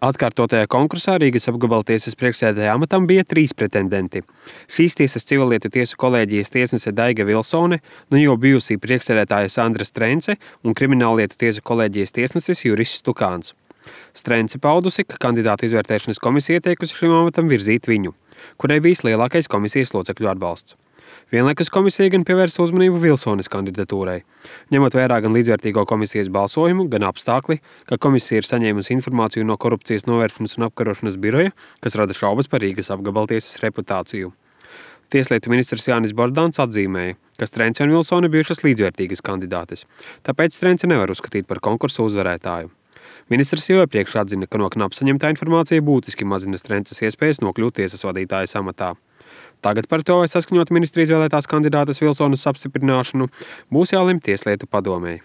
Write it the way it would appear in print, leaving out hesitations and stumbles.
Atkārtotajā konkursā Rīgas apgabaltiesas priekšsēdētāja amatam bija 3 pretendenti. Šīs tiesas civilietu tiesu kolēģijas tiesnese Daiga Vilsone, nu jau bijusī priekšsēdētāja Sandra Strence un krimināllietu tiesu kolēģijas tiesnesis Juris Stukāns. Strence paudusi, ka kandidātu izvērtēšanas komisija ieteikusi šim amatam virzīt viņu, kurai bijis lielākais komisijas locekļu atbalsts. Vienlaikus komisija gan pievērsa uzmanību Vilsones kandidatūrai, ņemot vērā gan līdzvērtīgo komisijas balsojumu, gan apstākli, ka komisija ir saņēmusi informāciju no korupcijas novēršanas un apkarošanas biroja, kas rada šaubas par Rīgas apgabaltiesas reputāciju. Tieslietu ministrs Jānis Bordāns atzīmēja, ka Strence un Vilsone bijušas līdzvērtīgas kandidātes, tāpēc Strence nevar uzskatīt par konkursu uzvarētāju. Ministrs jau iepriekš atzina, ka no knap saņemtā informācija būtiski mazina Strences iespējas nokļūt tiesas vadītājas amatā. Tagad par to, vai saskaņot ministri izvēlētās kandidātes Vilsones apstiprināšanu, būs jālemj Tieslietu padomei.